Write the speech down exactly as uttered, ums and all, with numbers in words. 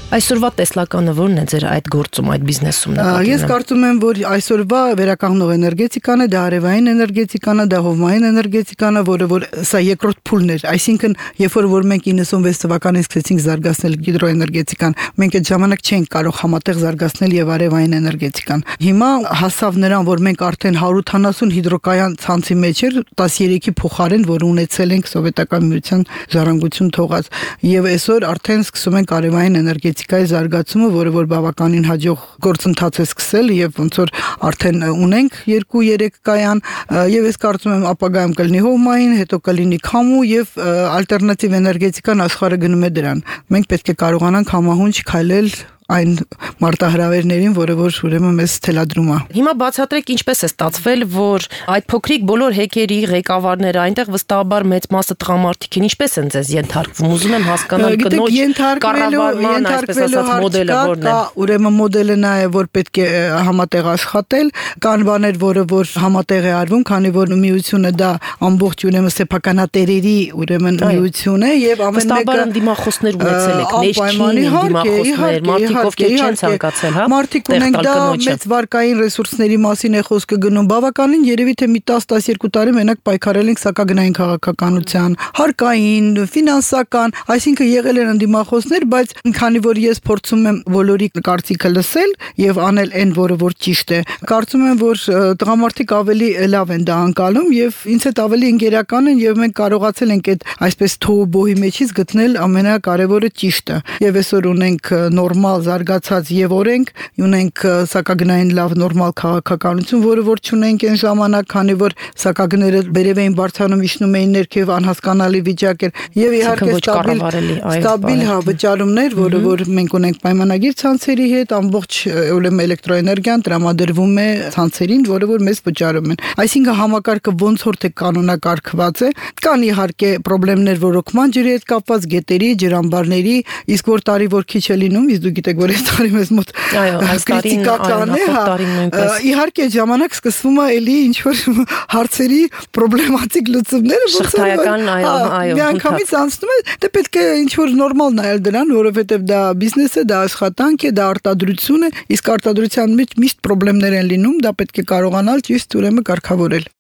Այսօրվա տեսլականը ո՞րն է ձեր այդ գործում, այդ բիզնեսում նկատի ունեմ։ Ես կարծում եմ, որ այսօրվա վերականգնող էներգետիկան է, դա արևային էներգետիկան է, դա հովմային էներգետիկան է, որը որ սա երկրորդ փուլն էր, այսինքն երբ որ որ մենք իննսունվեց թվականին սկսեցինք զարգացնել հիդրոէներգետիկան, մենք այդ ժամանակ չենք կարող համատեղ զարգացնել եւ արևային էներգետիկան։ Հիմա հասավ նրան, որ մենք արդեն հարյուր ութանասուն հիդրոկայան ցանցի մեջ էր, տասներեքի փոխարեն, որ ունեցել ենք սովետական միության ժառանգություն թողած, եւ այսօր արդեն սկսում ենք արևային էներգետիկայի զարգացումը, որը որ բավականին հաջող գործընթաց է սկսել եւ ոնց որ արդեն ունենք երկու երեք կայան եւ ես կարծում եմ ապագայում կլինի հովմային, հետո կլինի քամու եւ ալտերնատիվ էներգետիկան աշխարհը գնում է դրան։ Մենք պետք է կարողանանք համահունչ քայլել այն մարտահրավերներին, որը որ ուրեմն մեզ թելադրում է։ Հիմա բացատրեք ինչպես է ստացվել, որ այդ փոքրիկ բոլոր հեկերի ղեկավարները այնտեղ վստահաբար մեծ մասը տղամարդիկ են, ինչպես են ձեզ ենթարկվում։ Ուզում եմ հասկանալ կնոջ կառավարման, այսպես ասած, մոդելը որն է։ Ուրեմն մոդելը նա է, որ պետք է համատեղ աշխատել, կան բաներ, որը որ համատեղ է արվում, քանի որ միությունը դա ամբողջ ուրեմն սեփականատերերի ուրեմն միություն է եւ ամեն մեկը դիմախոսներ ունեցել եք, ներքին դիմախոսներ, ովքեր չեն ցանկացել, հա։ Մարդիկ ունենք դա մեծ վարկային ռեսուրսների մասին է խոսքը գնում։ Բավականին երևի թե մի տասը տասներկու տարի մենակ պայքարել ենք սակագնային քաղաքականության, հարկային, ֆինանսական, այսինքն եղել են ընդդիմախոսներ, բայց քանի որ ես փորձում եմ բոլորի կարծիքը լսել եւ անել այն, որը որ ճիշտ է, կարծում եմ, որ տղամարդիկ ավելի լավ են դա անցալում եւ ինձ հետ ավելի ընկերական են եւ մենք կարողացել ենք այդ այսպես թոհուբոհի մեջից գտնել ամենակարևորը ճիշտը։ Եվ այսօր ունենք նորմալ զարգացած եւ օրենք, ունենք սակագնային լավ նորմալ քաղաքականություն, որը որ չունենք այն ժամանակ, քանի որ սակագները բերև էին բարձրանում, իջնում էին ներքև, անհասկանալի վիճակ էր եւ իհարկե ստաբիլ ստաբիլ հա վճարումներ, որը որ մենք ունենք պայմանագիր ցանցերի հետ, ամբողջ ուրեմն էլեկտրոէներգիան տրամադրվում է ցանցերին, որը որ մեզ վճարում են։ Այսինքն համակարգը ոնց որ թե կանոնակարգված է, կան իհարկե խնդիրներ ռոռոկման ջրի հետ կապված, գետերի, ջրամբարների, իսկ որ տարի որ քիչ է լինում, իսկ դու գիտեք, որ այս տարի մեզ մոտ քրիտիկական է, հա։ Իհարկե ժամանակ սկսվում է էլի ինչ որ հարցերի պրոբլեմատիկ լուծումները, շղթայական, այո, այո։ Միանգամից անցնում է, դե պետք է ինչ որ նորմալ նայել դրան, որովհետև դա բիզնես է, դա աշխատանք է, դա արտադրություն է, իսկ արտադրության մեջ միշտ խնդիրներ են լինում, դա պետք է կարողանալ ճիշտ ուրեմն կարգավորել։